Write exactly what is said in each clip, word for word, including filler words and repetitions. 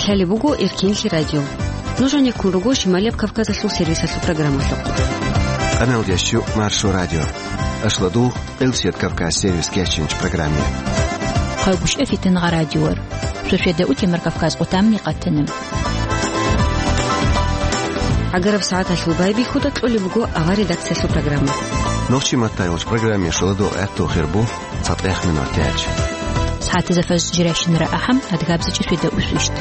Лъалеб буго Эркинлъи радио. Нуж гьанеккун руго Шималияб Кавказалъул сервисалъул программалъухъ. Къаналдеш чу Маршо радио. Ашладул Элсият Кавказ сервис кечинч программе. Хъайгушъа фитин гъа радиор. Шошеда утемар Кавказ къутамни къатанам. Агараб сагӀаталъул байбихьуда кьолеб буго авар редакциялъул программа. Нохчи маттайолч программе шоладо гӀатту хирбу. ЦатӀех минут тяч. СагӀатазда фажр жирайщинара ахӀам, адгабзичӀи шведа усвищт.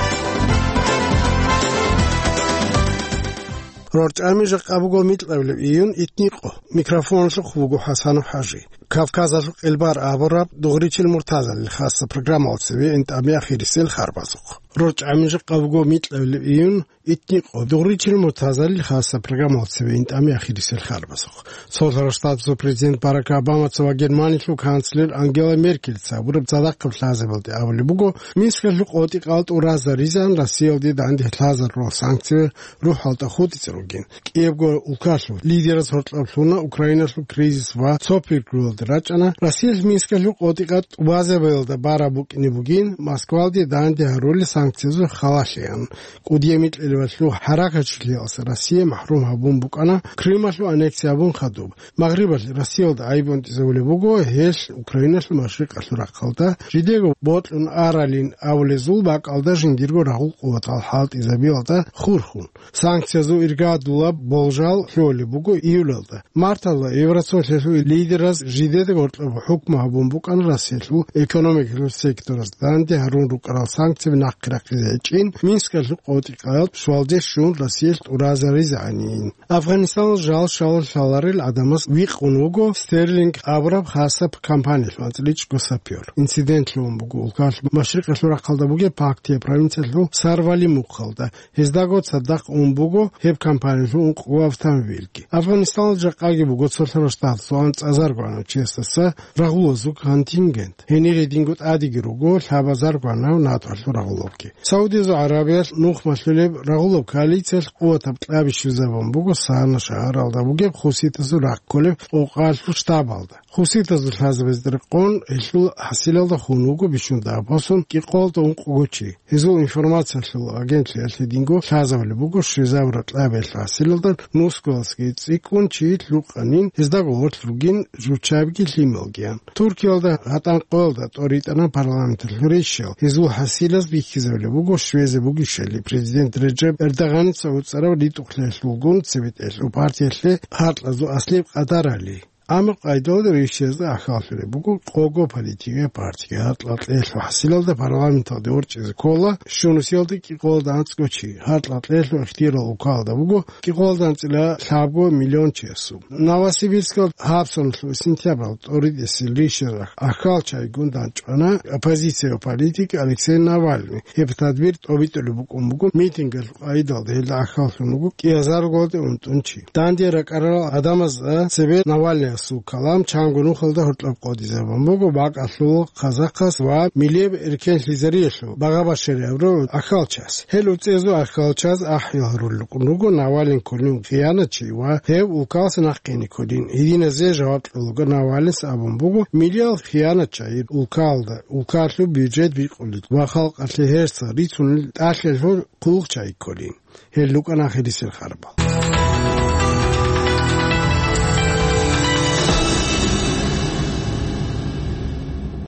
РорчӀами жакъа буго микьабилеб июн итникъо. Микрофонлъухъ вуго ХӀасану ХӀажи. Кавказалъул къилбар абураб дугъричил муртазалил хаса программал цеве интӀами ахирисел харбазухъ. РорчӀами жакъа буго микьабилеб июн итникъо дугъричил муртазалил хаса программал цеве интӀами ахирисел харбазухъ. Цолъарал Штатазул президент Барак Обамаца ва Германиялъул канцлер Ангела Меркельца абураб цадахъаб лъазабалде абулеб буго, Минскалъул къотӀи-къал тӀуразаризан Россиялде данде лъазарурал санкциял рухӀалда хутӀизе ругин. КӀиябго улкалъул лидераз гьоркьоб лъуна Украиналъул кризис ва цо пикруялда рачӀана Россиялъ Минскалъул къотӀи-къал тӀубазабиялда бараб букӀине бугин, Москвалде данде гьарулел санкциязул халалъеян. КӀудияй микьилавалъул гьаракачилъиялса Россия махӀрум гьабун букӀана Крымалъул аннексия гьабун хадуб. Магърибалъ Россиялда гӀайиб унтӀизавулеб буго гьелъ Украиналъул машрикъалъул рахъалда, жидего бокьун аралин абулезул бакӀалда жиндирго рагъул къуватал хӀалтӀизабиялда хурхун. Санкциязул иргадулаб болжал лъолеб буго июлалда. Марталда Евросоюзалъул лидераз жидеда гьоркьоб хӀукму гьабун букӀана Россиялъул экономикалъул сектораз данде гьарун рукӀарал санкцияби нахъе рахъизе гьечӀин, Минскалъул къотӀи-къал щвалде щун Россиялъ тӀуразаризегӀанин. Афганистаналъ жал щалал лъаларел гӀадамаз викъун вуго Стерлинг абураб хасаб компаниялъул анцӀила чӀго сапёр. Инцидент лъугьун буго улкалъ машрикъалъул рахъалда бугеб Пактия провинциялъул Сарвали мухъалда. Гьездаго цадахъ ун буго гьеб компаниялъул ункъго автомобильги. Афганистаналда жакъаги буго цолъарал штатазул анцӀазарго гӀанав чиясдаса рагъулазул контингент. Гьенир гьединго тӀадеги руго лъабазарго гӀанав НАТОлъул рагъулабги. Саудиязул ГӀарабиялъ нух малъулеб рагъулаб коалициялъ къуватаб кьаби щвезабун буго Сана шагьаралда бугеб хуситазул рахъ кколеб къокъалъул штабалда. Хуситазул лъазабазда рекъон гьелъул хӀасилалда хун вуго бищун дагьаб босун кӀикъоялда ункъго чи. Гьезул информациялъул агентлъиялъ гьединго лъазабулеб буго щвезабураб кьабиялъул хӀасилалда нусгоялдасаги цӀикӀкӀун чи лъукъанин, гьезда гъорлъ ругин жучабги лъималгиян. Туркиялда гьатӀан къоялда тӀоритӀана парламенталъул рещтӀал. Гьезул хӀасилаз бихьизабулеб буго щвезе бугищали президент Реджеп Эрдоганица уцӀараб ритӀухълъиялъулгун цебетӀелъул партиялъе гьаркьазул аслияб къадарали. Амма къайдалда рещтӀиязда ахӀаллъулеб буго къого политикияб партиги. Гьаркьа-кьелъул хӀасилалда парламенталде ворчӀизе ккола щунусиялда кӀикъоялда анцӀго чи. Гьаркьа-кьелъул ихтияр улкалда буго кӀикъоялда анцӀила лъабго миллион чиясул. Новосибирскалда гьабсагӀаталъул сентябралда тӀоритӀесел рещтӀиялда ахӀалчагӀигун дандчӀвана оппозицияб политик Алексей Навальный. Гьеб тадбир тӀобитӀулеб букӀун буго митингалъул къайдалда, гьелда ахӀаллъун вуго кӀиазарго унтӀун чи. Данде ракӀарал гӀадамазда цебе Навальныясул калам чанго нухалда гьоркьоб къотӀизабун буго бакӀалъул казахъас ва милияб эркенлъизариялъул багъа-башарияб рагӀул ахӀалчияс. Гьел уцӀезул ахӀалчияз ахӀи гьарулел рукӀун руго Навальный кколин хиянатчи ва гьев улкаласе нахъене кколин. Гьединазе жаваб кьолого Навальныяс абун буго, милиял хиянатчагӀи улкалда, улкалъул бюджет бикъулел ва халкъалъе гьерсал рицунел тӀалъалъул хъулухъчагӀи кколин. Гьел рукӀана ахирисел харбал.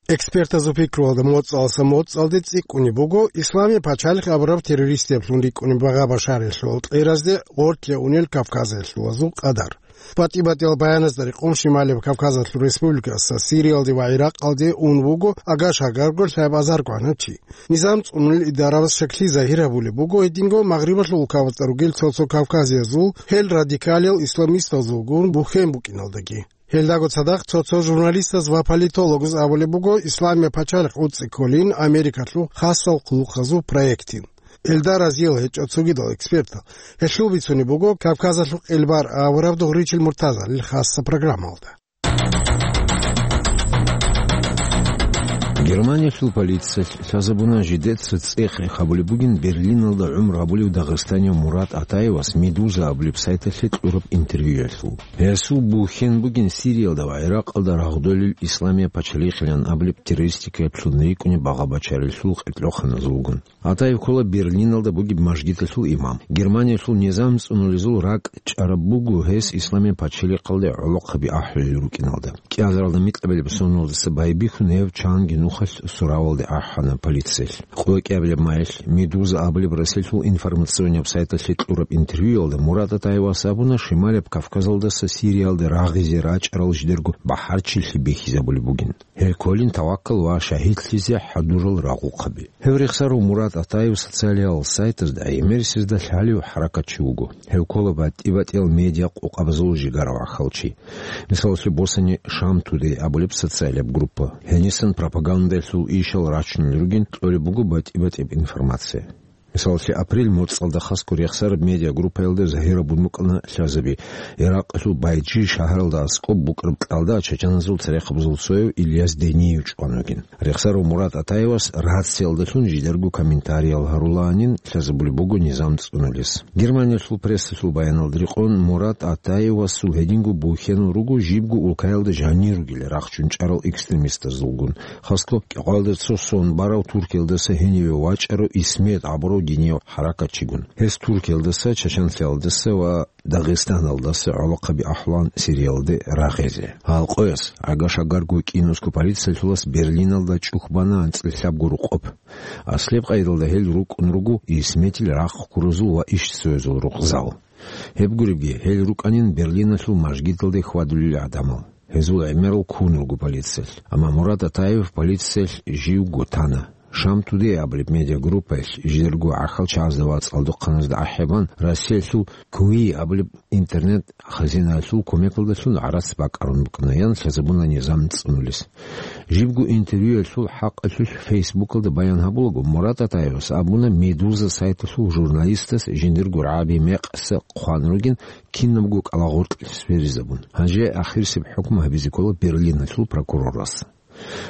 Экспертазул пикруялда моцӀалдаса моцӀалде цӀикӀкӀунеб буго Исламияб пачалихъ абураб террористияблъун рикӀкӀунеб багъа-башариялъул алкьеразде гъоркье унел кавказалъулазул къадар. БатӀи-батӀиял баяназда рекъон Шималияб Кавказалъул республикаялдаса Сириялде ва ГӀиракъалде ун вуго агаш-агарго лъабазарго гӀанав чи. Низам цӀунулел идарабаз шаклъи загьир гьабулеб буго гьединго Магърибалъул улкабазда ругел цо-цо кавказиязул гьел радикалиял исламистазулгун бухьен букӀиналдаги. Гьелдаго цадахъ цо-цо журналистаз ва политологаз абулеб буго, Исламияб пачалихъ уцӀцӀи кколин Америкалъул хасал хъулухъазул проектин. Гьелда разиял гьечӀо цогидал экспертал. Гьелъул бицунеб буго Кавказалъул къилбар аварав дугъричил муртазалил хасса программалда. Германиялъул полициялъ лъазабуна жидеца цӀех-рех гьабулеб бугин Берлиналда гӀумру гьабулев дагъистанияв Мурат Атаевас Медуза абулеб сайталъе кьураб интервьюялъул. Гьесул бухьен бугин Сириялда ва ГӀиракъалда рагъдолел Исламия пачалихъилан абулеб террористикаялъул рикӀкӀунеб багъа-бачаралъул къеркьоханазулгун. Атаев ккола Берлиналда бугеб мажгиталъул имам. Германиялъул низам цӀунулезул ракӀ чӀараб буго гьес Исламия пачалихъалде гӀолохъаби ахӀулел рукӀиналда. КӀиазаралда микьабилеб соналдаса байбихьун гьев чанги нухалъ суравалде ахӀана полициялъ. КъвекӀиабилеб майилъ Медуза абулеб Россиялъул информационнияб сайталъе кьураб интервьюялда Мурат Атаевас абуна Шималияб Кавказалдаса Сириялде рагъизе рачӀарал жидерго бахӀарчилъи бихьизабулеб бугин. Гьел кколин таваккал ва шагьидлъизе хӀадурал рагъухъаби. Гьев рехсарав Мурат Атаев социалиял сайтазда гӀемерисезда лъалев хӀаракатчи вуго. Гьев ккола батӀи-батӀиял медиа къокъабазул жигара вахъал чи. Мисалалъе, босани Шам Тудей абулеб социалияб группа. Гьенисан пропагандалъул ишал рачунел ругин кьолеб буго батӀи-батӀияб информация. Мисалалъе, апрель моцӀалда хасго рехсараб медиагруппаялда загьир абун букӀана лъазаби, Иракъалъул Байджи шагьаралда аскӀоб букӀараб кьалда чачаназул церехъабазул цояв Ильяс Дениев чӀван вугин. Рехсарав Мурат Атаевас рациялдалъун жидерго комментариял гьарулаанин лъазабулеб буго низам цӀунулес. Германиялъул прессалъул баяналда рекъон, Мурат Атаевасул гьединго бухьенал руго жибго улкаялда жанир ругел рахчун чӀарал экстремистазулгун, хасго кӀикъоялда цо сон барав Туркиялдаса гьениве вачӀарав Исмет абурав динияв хӀаракатчигун. Гьес Туркиялдаса, Чачанлъиялдаса ва Дагъистаналдаса гӀолохъаби ахӀулаан Сириялде рагъизе. Гьал къояс, агашагарго кӀинусго полициялъулас Берлиналда чӀухь бана анцӀила лъабго рукъоб. Аслеб къайдалда гьел рукӀун руго Исметил рахъ ккуразул ва ишцоязул рукъзал. Гьеб гуребги, гьел рукӀанин Берлиналъул мажгиталде хьвадулел гӀадамал. Гьезул гӀемерал ккун руго полициялъ. Амма Мурат Атаев полициялъ живго тана. Шам Тудей абулеб медиагруппаялъ жидерго гӀахьалчагӀазда ва цӀалдохъаназда ахӀи бан, Россиялъул Куи абулеб интернет-хазинаялъул кумекалдалъун гӀарац бакӀарун букӀана, ян лъазабуна низам цӀунулес. Жибго интервьюялъул хӀакъалъулъ Фейсбукалда баян гьабулаго, Мурат Атаевас абуна Медуза сайталъул журналистас жиндирго рагӀаби мекъса хъван ругин, кинабго кӀалагъоркье сверизабун. Гьанже ахирисеб хӀукму гьабизе ккола Берлиналъул прокурорас.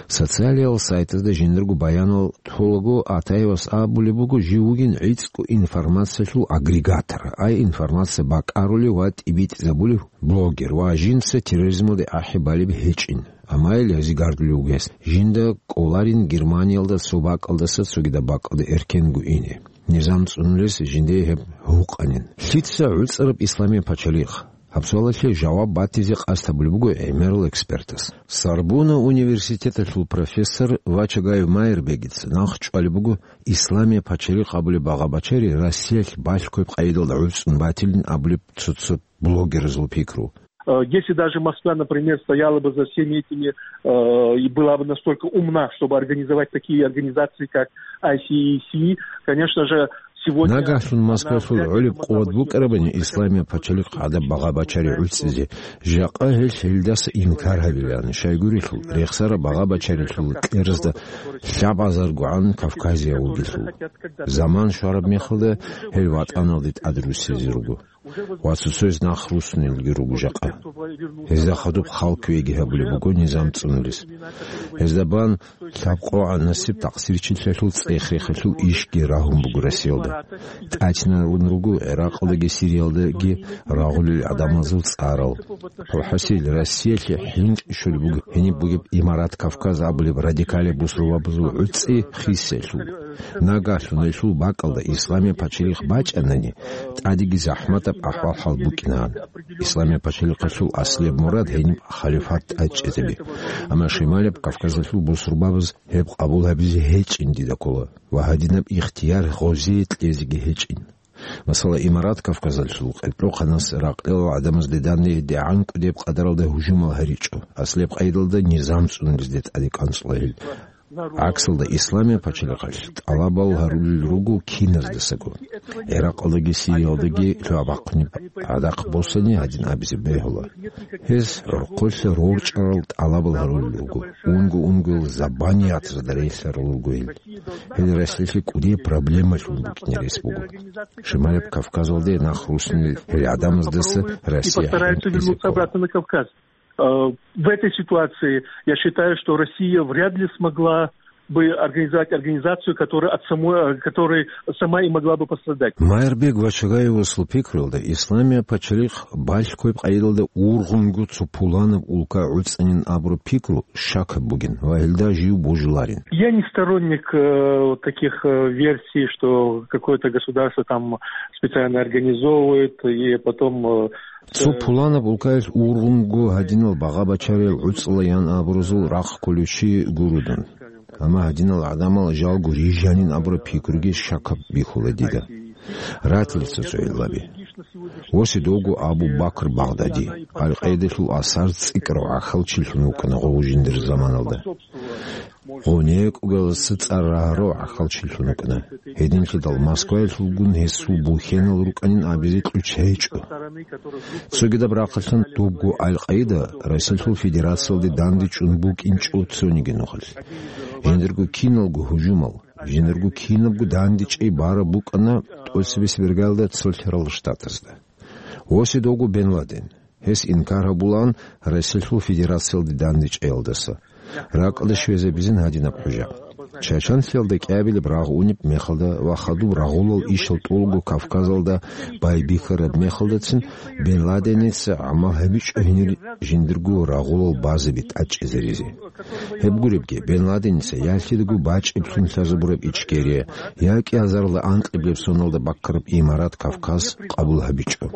Социалиял сайтазда жиндирго баянал толаго, Атаевас абулеб буго жив вугин гӀицӀго информациялъул агрегатор, ай информация бакӀарулев ва тӀибитӀизабулев блогер ва жинца терроризмалде ахӀи балеб гьечӀин. Амма ил гьезигардулев вугес, жинда кӀоларин Германиялда цо бакӀалдаса цогидаб бакӀалда эркенго ине. Низам цӀунулес жиндие гьеб гьукъанин. Лъица гӀуцӀараб Исламия пачалихъ? Гьаб суалалъе жаваб батизе къасд гьабулеб буго гӀемерал экспертас. Сорбонна университеталъул профессор Вачагаев Майрбегица нахъ чӀвалеб буго Исламия пачалихъ абулеб багъа-бачари Россиялъ балъгояб къайдалда гӀуцӀун батилин абулеб цо-цо блогерзул пикру. Э, если даже Москва, например, стояла бы за всеми этими, э, и была бы настолько умна, чтобы организовать такие организации, как I C C, конечно же, сегодня Нагагьлъун Москвалъул гӀолеб къуват букӀарабани Исламия пачалихъ гӀадаб багъа-бачари гӀуцӀизе, жакъа гьел гьелдаса инкар гьабилаан, щайгурелъул рехсараб багъа-бачарилъул кьеразда лъабазаргогӀан Кавказияв вугелъул. Заман щвараб мехалда гьел ватӀаналде тӀадрусизе руго. Ва цо-цояз нах руссунелги руго жакъа. Гьезда хадуб хал кквеги гьабулеб буго низам цӀунулес. Гьезда бан лъабкъогӀан насиб такъсирчилъиялъул цӀех-рехалъул ишги рагьун буго Россиялда. ТӀадегӀан руго ГӀиракъалдаги Сириялдаги рагъулел гӀадамазул цӀарал. ХӀасил, Россиялъе хӀинкъи щолеб буго гьениб бугеб Имарат Кавказ абулеб радикалияб бусурбабазул гӀуцӀи хисиялъул. Нагагьлъун гьелъул бакӀалда Исламия пачалихъ бачӀанани, тӀадеги захӀматаб ахӀвал-хӀал букӀинаан. Исламия пачалихъалъул аслияб мурад гьениб халифат тӀадчӀезаби. Амма Шималияб Кавказалъул бусурбабаз гьеб къабул гьабизе гьечӀин дида ккола ва гьадинаб ихтияр гъозие кьезеги гьечӀин. Масала, Имарат Кавказалъул къеркьохъанас ракьалил гӀадамазде данде дигӀан кӀудеб къадаралда гьужумал гьаричӀо, аслияб къайдалда низам цӀунулезде тӀаде кӀанцӀула гьел. ГӀаксалда, Исламия пачалихъалъ тӀалабал гьарулел руго киназдасаго. ГӀиракъалдаги Сириялдаги лъугьа-бахъунеб гӀадахъ босани гьадин абизе бегьула. Гьез гӀурхъулъа рорчӀарал тӀалабал гьарулел руго, унго-унгоял забаниятазда релълъарал руго гьел. Гьел Россиялъе кӀудияб проблемалъун букӀине рес буго. Шималияб Кавказалде нах руссунел гьел гӀадамаздаса Россия постараются хӀинкъизе вернуться ккола. Обратно на Кавказ. Э, в этой ситуации я считаю, что Россия вряд ли смогла бы организовать организацию, которая от самой, э, которая сама и могла бы пострадать. Майрбек Вачагаевасул пикруялда, Исламия пачалихъ балъгояб къайдалда ургъунго цо пуланаб улка гӀуцӀанин абураб пикру щакаб бугин ва гьелда жив божиларин. Я не сторонник, э, вот таких, э, версий, что какое-то государство там специально организовывает и потом, э, Цо пуланаб улкаялъ ургъунго гьадинал багъа-бачариял гӀуцӀала ян абуразул рахъ кколев чи гуро дун. Амма гьадинал гӀадамал жалго рижанин абураб пикруги щакаб бихьула дида. Ратила цо-цо гӀиллаби. Восидовго Абу Бакр Багъдади, Ал-Къаидалъул асар цӀикӀкӀарав гӀахьалчилъун вукӀана гъов жиндир заманалда. Гъов некӀугалдаса цӀар рагьарав гӀахьалчилъун вукӀана. Гьединлъидал Москваялъулгун гьесул бухьенал рукӀанин абизе кьучӀ гьечӀо. Цогидаб рахъалъан дубго Ал-Къаида Россиялъул Федерациялде дандечӀун букӀинчӀо цониги нухалъ. Жиндирго киналго гьужумал, жиндирго кинабго дандечӀей бараб букӀана тӀоцебесеб иргаялда Цолъарал Штатазда. Восидовго Бен Ладен. Гьес инкар гьабулаан Россиялъул Федерациялде дандечӀеялдаса. РакӀалде щвезабизин гьадинаб хӀужа. Чачанлъиялда кӀиабилеб рагъ унеб мехалда ва хадуб рагъулал ишал тӀолго Кавказалда байбихьараб мехалдацин Бен Ладеница гӀамал гьабичӀо гьенир жиндирго рагъулал базаби тӀадчӀезаризе. Гьеб гуребги, Бен Ладеница ялъидаго бачӀиблъун лъазабураб Ичкерия, я кӀиазарла анкьиблеб соналда баккараб имарат Кавказ къабул гьабичӀо.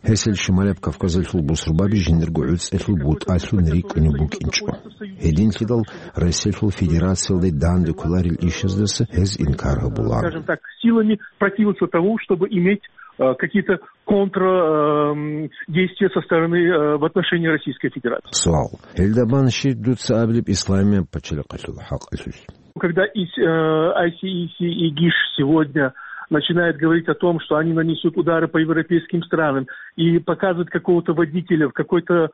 Гьесил Шималияб Кавказалъул бусурбаби жиндирго гӀуцӀелъул бутӀалъун рикӀкӀунеб букӀинчӀо. Гьединлъидал Россиялъул Федерациялде данде кколарел ишаздаса гьез инкар гьабулаан. Скажем так, силами противиться тому, чтобы иметь, э, какие-то контр, эм, действия со стороны, э, в отношении Российской Федерации. Суал. Гьелда бан щиб дуца абилеб Исламияб пачалихъалъул хӀакъалъулъ? Когда ИС, э, ай си ай си и ГИШ сегодня начинает говорить о том, что они нанесут удары по европейским странам, и показывать какого-то водителя в какой-то,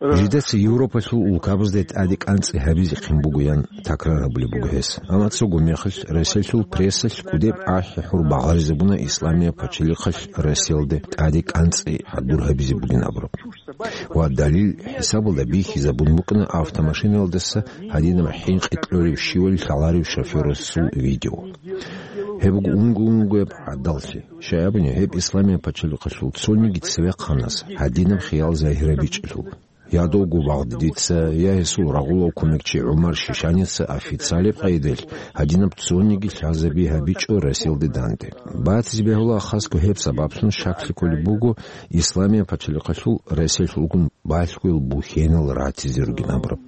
э, Жидеца Европалъул улкабазда тӀаде кӀанцӀи гьабизехъин бугоян такрар гьабулеб буго гьес. Амма цого мехалъ Россиялъул прессалъ кӀудеб ахӀи-хӀур багъаризабуна Исламияб пачалихъалъ Россиялде тӀаде кӀанцӀи хӀадур гьабизе бугин абураб. Ва далил хӀисабалда бихьизабун букӀана автомашинаялдаса гьадинаб хӀинкъи кьолев щивали лъаларев шофёрасул видео. Гьеб буго унго-унгояб гӀадаллъи. Щай абуни, гьеб Исламияб пачалихъалъул цониги цевехъанас гьадинаб хиял загьирабичӀелъул. Я довго Багъдадица, я гьесул рагъулав кумекчи ГӀумар Шишаница официалеб къайдалъ гьадинаб цониги лъазаби гьабичӀо Россиялде данде. Батизе бегьула хасго гьеб сабаблъун щаклъи кколеб буго Исламияб пачалихъалъул Россиялъулгун балъгоял бухьенал ратизе ругин абураб.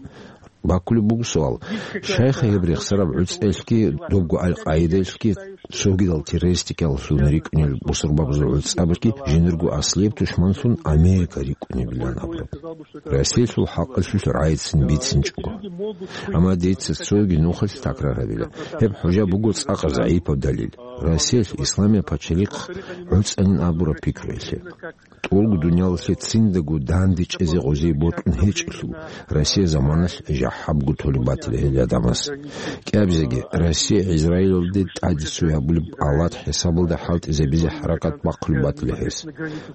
Баккулеб буго суал, щайха гьеб рехсараб гӀуцӀелъги, добго Ал-Къаидалъги, цогидал террористикаллъун рикӀкӀунел бусурбабазул гӀуцӀабазги жиндирго аслияб тушманлъун Америка рикӀкӀунебилан абураб. Россиялъул хӀакъалъулъ рагӀицин бицинчӀого. Амма дица цоги нухалъ такрар гьабила. Гьеб хӀужа буго цӀакъ загӀипаб далил Россиялъ Исламияб пачалихъ гӀуцӀанин абураб пикруялъе. ТӀолго дуниялалъе циндаго данде чӀезе гъозие бокьун гьечӀелъул, Россия заманалъ жахӀабго толеб батила гьел гӀадамаз. КӀиабизеги, Россия Израилалде тӀаде цо гьабулеб алат хӀисабалда хӀалтӀизабизе хӀаракат бахъулеб батила гьес.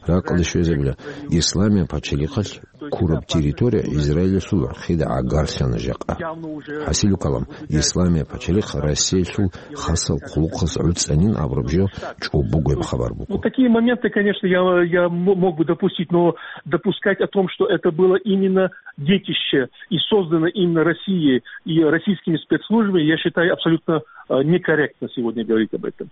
Ракъалде щвезабила, Исламияб пачалихъалъ ккураб территория Израилалъул гӀурхъида гӀагарлъана жакъа. ХӀасилу калам, Исламияб пачалихъ Россиялъул хасал хъулухъаз гӀуцӀанин абураб жо чӀобогояб хабар буго. Ну, такие моменты, конечно, я, я м-, мог бы допустить, но допускать о том, что это было именно детище и создано именно Россией и российскими спецслужбами, я считаю абсолютно, э, некорректно сегодня говорить об этом.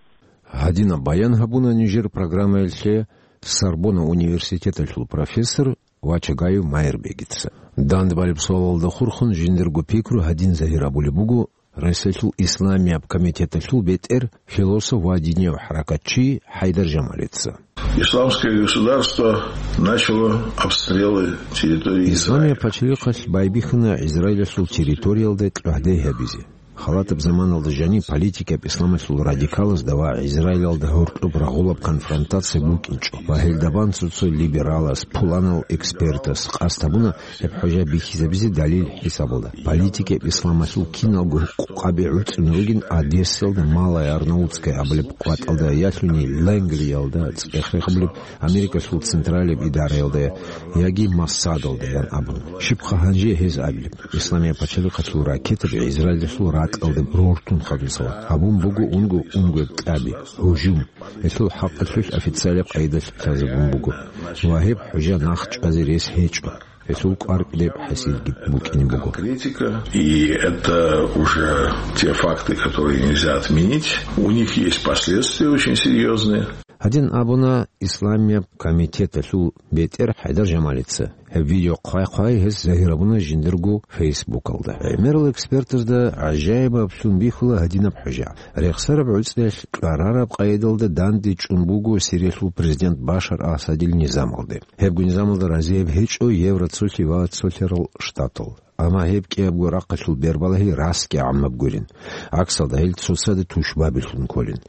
Гьадинаб баян гьабуна нижер программаялъе Сорбонна университеталъул профессор Вачагаев Майрбегица. Дандбалеб суалалда хурхун жиндирго пикру гьадин загьир абулеб буго Россиялъул Исламияб комитеталъул бетӀер, философ ва динияв хӀаракатчи ХӀайдар Жамалица. Исламское государство начало обстрелы территории Израиля. Исламияб пачалихъалъ байбихьана Израилалъул территориялда кьогьдай гьабизе. Халатаб заманалда жаниб политикаб исламалъул радикалазда ва Израилалда гьоркьоб рагъулаб конфронтация букӀинчӀо ва гьелда бан цо-цо либералас, пуланал экспертас къасд гьабуна гьеб хӀужа бихьизабизе далил хӀисабалда. Политикаб исламалъул киналго къукъаби гӀуцӀун ругин Одессалда Малая Арнаутская абулеб къватӀалда ялъуни Лангриялда цӀех-рех гьабулеб Америкалъул централияб идараялда яги Моссадалда ян абун. Щибха гьанже гьез абилеб? Исламияб пачалихъалъул ракетаби Израилалъул ракьалда рортун хадусала гьабун буго унго-унгояб кьаби, гьужум. Гьелъул хӀакъалъулъ официалияб къайдалъ лъазабун буго. Ва гьеб хӀужа нахъ чӀвазе рес гьечӀо. Гьелъул кӀвар кӀудеб хӀасилги букӀине буго. Критика, и это уже те факты, которые нельзя отменить. У них есть последствия очень серьёзные. Гьадин абуна Исламияб комитеталъул бетӀер ХӀайдар Жамалица. Гьеб видео хъвай-хъвай гьес загьир гьабуна жиндирго Фейсбукалда. ГӀемерал экспертазда гӀажаибаблъун бихьула гьадинаб хӀужа. Рехсараб гӀуцӀиялъ кьарараб къайдалда данде чӀун буго Сириялъул президент Башар Асадил низамалде. Гьебго низамалда разияб гьечӀо Евроцолъи ва Цолъарал Штатал. Амма гьеб кӀиябго рахъалъул бербалагьи расги гӀаммаб гурин. ГӀаксалда гьел цоцазда тушбабилъун кколин.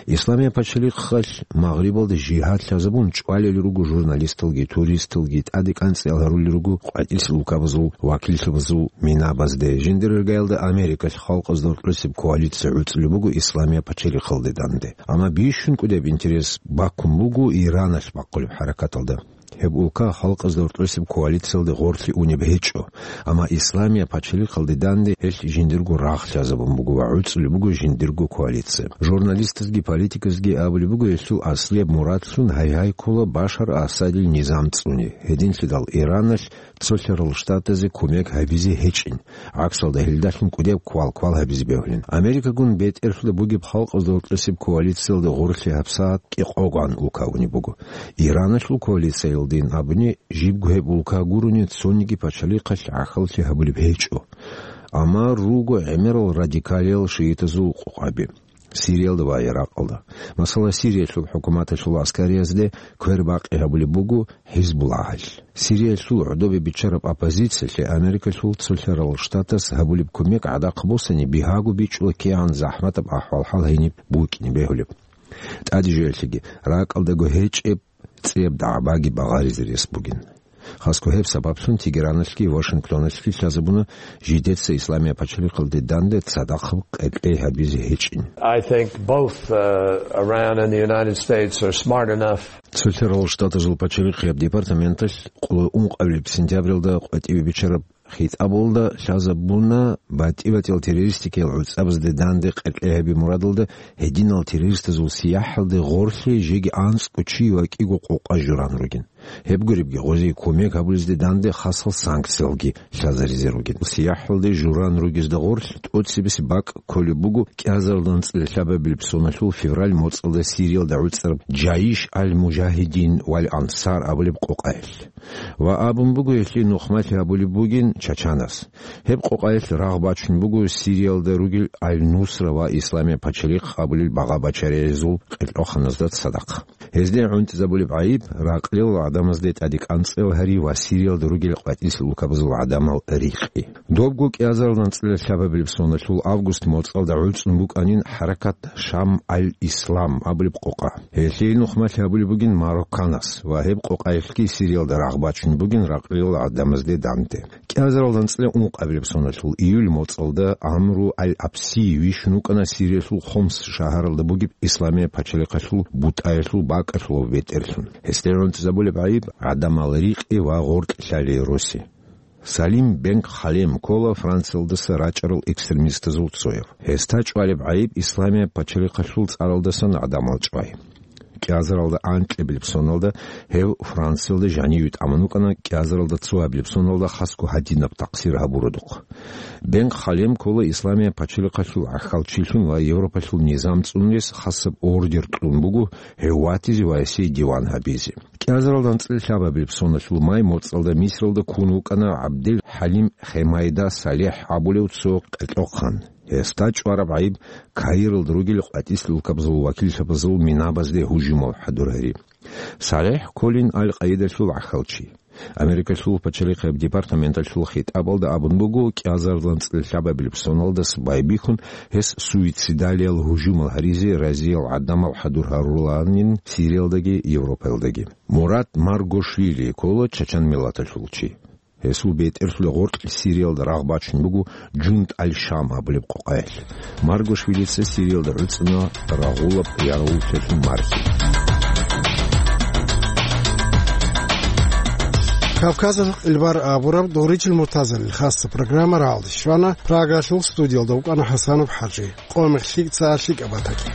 Исламияб пачалихъалъ Магърибалда жигьад лъазабун чӀвалел руго журналисталги, туристалги, тӀаде кӀанцӀиял гьарулел руго къватӀилъ улкабазул вакиллъабазул минабазде, жиндир иргаялда Америкалъ халкъазда гьоркьосеб коалиция гӀуцӀулеб буго Исламияб пачалихъалде данде. Амма бищун кӀудеб интерес баккун буго Ираналъ бахъулеб хӀаракаталда. Гьеб улка халкъазда гьоркьосеб коалициялде гъорлъе унеб гьечӀо, амма Исламияб пачалихъалде данде гьелъ жиндирго рагъ лъазабун буго ва гӀуцӀулеб буго жиндирго коалиция. Журналистазги политиказги абулеб буго гьелъул аслияб мурадлъун гьай-гьай ккола Башар Асадил низам цӀуне, гьединлъидал Ираналъ Цолъарал Штатазе кумек гьабизе гьечӀин, гӀаксалда гьелдалъун кӀудеб квал-квал гьабизе бегьулин. Америкагун бетӀерлъуда бугеб халкъазда гьоркьосеб коалициялда гъорлъе гьабсагӀат кӀикъоган улка унеб буго. Ираналъул коалициялдин абуни, жибго гьеб улка гурони цониги пачалихъалъ гӀахьаллъи гьабулеб гьечӀо. Амма руго гӀемерал радикалиял шиитазул къукъаби Сириялда ва Иракъалда. Масала, Сириялъул хӀукуматалъул аскариязде квербакъи гьабулеб буго ХӀизбуллагьалъ. Сириялъул гӀодобе биччараб оппозициялъе Америкалъул Цолъарал Штатас гьабулеб кумек гӀадахъ босани, бигьаго бичӀчӀула кигӀан захӀматаб ахӀвал-хӀал гьениб букӀине бегьулеб. ТӀаде жоялъеги, ракӀалдаго гьечӀеб цӀияб дагӀбаги багъаризе рес бугин. Хасго гьеб сабаблъун Тегераналъги Вашингтоналъги лъазабуна жидеца Исламияб пачалихъалде данде цадахъ къеркьей гьабизе гьечӀин. I think both, uh, Iran and the United States are smart enough. Цолъарал Штатазул пачалихъияб департаменталъ къоло ункъабилеб сентябралда къватӀиве биччараб хитӀабалда лъазабуна батӀи-батӀиял террористикиял гӀуцӀабазде данде къеркьей гьаби мурадалда гьединал террористазул сияхӀалде гъорлъе жеги анцӀго чи ва кӀиго къокъа журан ругин. Гьеб гуребги, гъозие кумек гьабулезде данде хасал санкциялги лъазаризе ругин. СияхӀалде журан ругезда гъорлъ тӀоцебесеб бакӀ кколеб буго кӀиазарилда анцӀила лъабабилеб соналъул февраль моцӀалда Сириялда гӀуцӀараб Джаиш аль-Мужагьидин валь Ансар абулеб къокъаялъ. Ва абун буго, гьелъие нухмалъи гьабулеб бугин Чачанас. Гьеб къокъаялъ рагъ бачун буго Сириялда ругел Аль-Нусра ва Исламияб пачалихъ абулел багъа-бачариязул къеркьоханазда цадахъ. Гьезде гӀунтӀизабулеб гӀайиб ракълил гӀадамазде тӀаде кӀанцӀил гьари ва Сириялда ругел къватӀилъ улкабазул гӀадамал рикъи. Добго кӀиазарилда анцӀила лъабабилеб соналъул август моцӀалда гӀуцӀун букӀанин хӀаракат Шам аль-Ислам абулеб къокъа. Гьелъие нухмалъи гьабулеб бугин Марокканас ва гьеб къокъаялъги Сириялда рагъ бачун бугин ракълил гӀадамазде данде. КӀиазарилда анцӀила ункъабилеб соналъул июль моцӀалда Амру аль-Абси вищун вукӀана Сириялъул Хомс шагьаралда бугеб Исламияб пачалихъалъул бутӀаялъул бакӀалъулав бетӀерлъун. Гьесде гӀунтӀизабулеб гӀайиб гӀадамал рикъи ва гъоркь лъалей роси. Салим бен Халем ккола Франциялдаса рачӀарал экстремистазул цояв. Гьесда чӀвалеб гӀайиб Исламияб пачалихъалъул цӀаралдасан гӀадамал чӀвай. КӀиазарилда анкьабилеб соналда гьев Франциялда жаниве тӀамун вукӀана, кӀиазарилда цоабилеб соналда хасго гьадинаб такъсир гьабуродухъ. Бен Халем ккола Исламияб пачалихъалъул гӀахьалчилъун ва Европалъул низам цӀунулес хасаб ордер кьун буго гьев ватизе ва гьесие диван гьабизе. КӀиазарилда анцӀила лъабабилеб соналъул май моцӀалда Мисралда ккун вукӀана ГӀабдел ХӀалим Хемайда Салехь абулев цо къеркьохъан. Гьесда чӀвараб гӀайиб Каиралда ругел къватӀилъ улкабазул вакиллъабазул минабазде гьужумал хӀадур гьари. Салехь кколин Аль-Къаидалъул гӀахьалчи. Америкалъул пачалихъияб департаменталъул хитӀабалда абун буго, кӀиазарилан цӀилъабабилеб соналдаса байбихьун, гьес суицидалиял гьужумал гьаризе разиял гӀадамал хӀадур гьарулаанин Сириялдаги Европаялдаги. Мурат Маргошвили ккола чачан миллаталъул чи. Гьесул бетӀерлъула гъоркь Сириялда рагъ бачун буго Жунд аль-Шам абулеб къокъаялъ. Маргошвилица Сириялда гӀуцӀуна рагъулаб ярагъуллъиялъул мархи. Кавказалъул гӀелбар абураб Доричил Муртазалил хасса программа рагӀалде щвана. Прагалъул студиялда вукӀана ХӀасанов ХӀажи. Къо-, мехлъи ца лъикӀаб батаги.